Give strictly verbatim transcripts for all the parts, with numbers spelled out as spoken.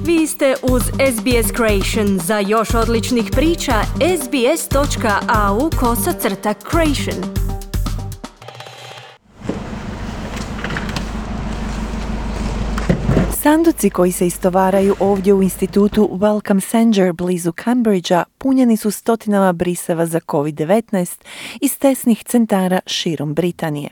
Vi ste uz S B S Creation. Za još odličnih priča, sbs.au kosacrta creation. Sanduci koji se istovaraju ovdje u institutu Wellcome Sanger blizu Cambridgea punjeni su stotinama briseva za covid devetnaest iz testnih centara širom Britanije.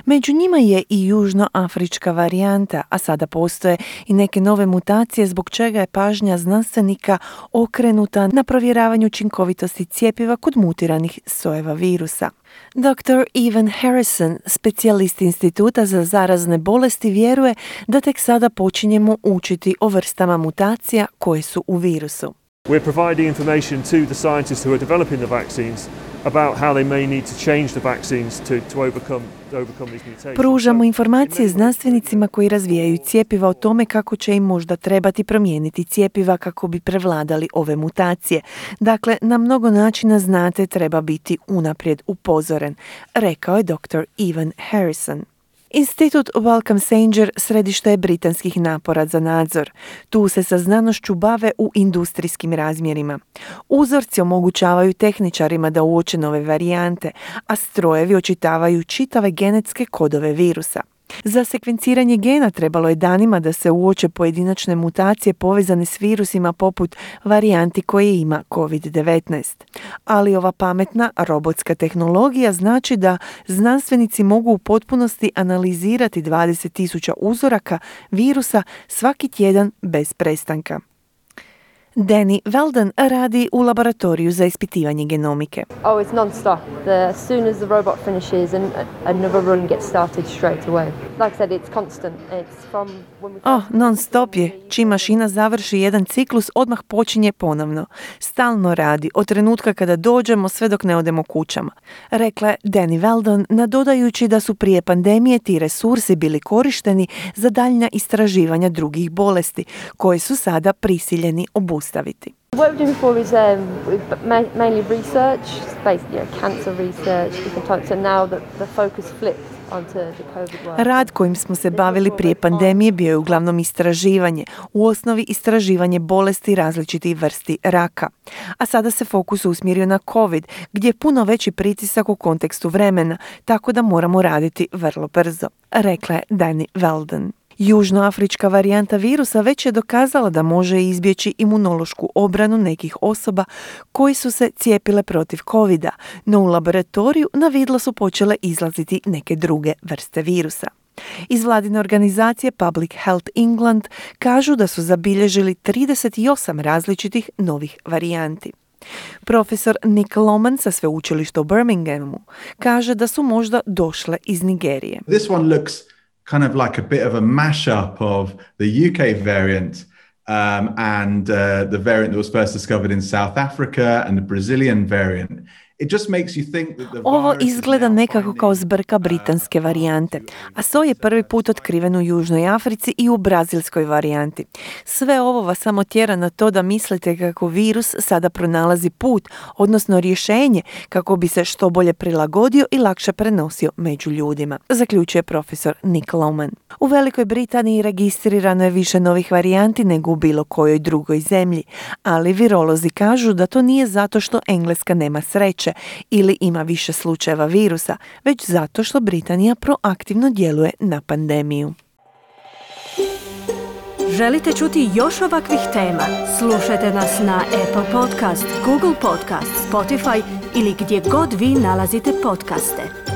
Među njima je i južnoafrička varijanta, a sada postoje i neke nove mutacije zbog čega je pažnja znanstvenika okrenuta na provjeravanju učinkovitosti cjepiva kod mutiranih sojeva virusa. doktor Evan Harrison, specijalist Instituta za zarazne bolesti, vjeruje da tek sada počinjemo učiti o vrstama mutacija koje su u virusu. We're providing information to the scientists who are developing the vaccines about how they may need to change the vaccines to, to overcome, overcome these mutations. Pružamo informacije znanstvenicima koji razvijaju cjepiva o tome kako će im možda trebati promijeniti cjepiva kako bi prevladali ove mutacije. Dakle, na mnogo načina, znate, treba biti unaprijed upozoren, rekao je doktor Evan Harrison. Institut Wellcome Sanger središte je britanskih napora za nadzor. Tu se sa znanošću bave u industrijskim razmjerima. Uzorci omogućavaju tehničarima da uoče nove varijante, a strojevi očitavaju čitave genetske kodove virusa. Za sekvenciranje gena trebalo je danima da se uoče pojedinačne mutacije povezane s virusima poput varijanti koje ima covid devetnaest. Ali ova pametna robotska tehnologija znači da znanstvenici mogu u potpunosti analizirati dvadeset tisuća uzoraka virusa svaki tjedan bez prestanka. Danny Weldon radi u laboratoriju za ispitivanje genomike. Oh, it's non-stop. The, as soon as the robot finishes, and another run gets started straight away. Like I said, it's constant. It's from when we... Oh, non-stop je. Čim mašina završi jedan ciklus, odmah počinje ponovno. Stalno radi, od trenutka kada dođemo sve dok ne odemo kućama, rekla je Danny Weldon, nadodajući da su prije pandemije ti resursi bili korišteni za daljnja istraživanja drugih bolesti, koje su sada prisiljeni obustaviti. What we've done before is um, mainly research, basically you know, cancer research, different types, and now the, the focus flipped onto the COVID work. Rad kojim smo se bavili prije pandemije bio je uglavnom istraživanje, u osnovi istraživanje bolesti različitih vrsti raka. A sada se fokus usmjerio na COVID, gdje je puno veći pritisak u kontekstu vremena, tako da moramo raditi vrlo brzo, rekla je Danny Weldon. Južnoafrička varijanta virusa već je dokazala da može izbjeći imunološku obranu nekih osoba koji su se cijepile protiv covida, no u laboratoriju na vidlo su počele izlaziti neke druge vrste virusa. Iz vladine organizacije Public Health England kažu da su zabilježili trideset osam različitih novih varijanti. Profesor Nick Loman sa sveučilišta u Birminghamu kaže da su možda došle iz Nigerije. This one looks kind of like a bit of a mashup of the U K variant um, and uh, the variant that was first discovered in South Africa and the Brazilian variant. It just makes you think that the Ovo virus izgleda nekako kao zbrka britanske varijante, a soj je prvi put otkriven u Južnoj Africi i u brazilskoj varijanti. Sve ovo vas samo tjera na to da mislite kako virus sada pronalazi put, odnosno rješenje kako bi se što bolje prilagodio i lakše prenosio među ljudima, zaključuje profesor Nick Loman. U Velikoj Britaniji registrirano je više novih varijanti nego u bilo kojoj drugoj zemlji, ali virolozi kažu da to nije zato što Engleska nema sreće ili ima više slučajeva virusa, već zato što Britanija proaktivno djeluje na pandemiju. Želite čuti još ovakvih tema? Slušajte nas na Apple Podcast, Google Podcast, Spotify ili gdje god vi nalazite podcaste.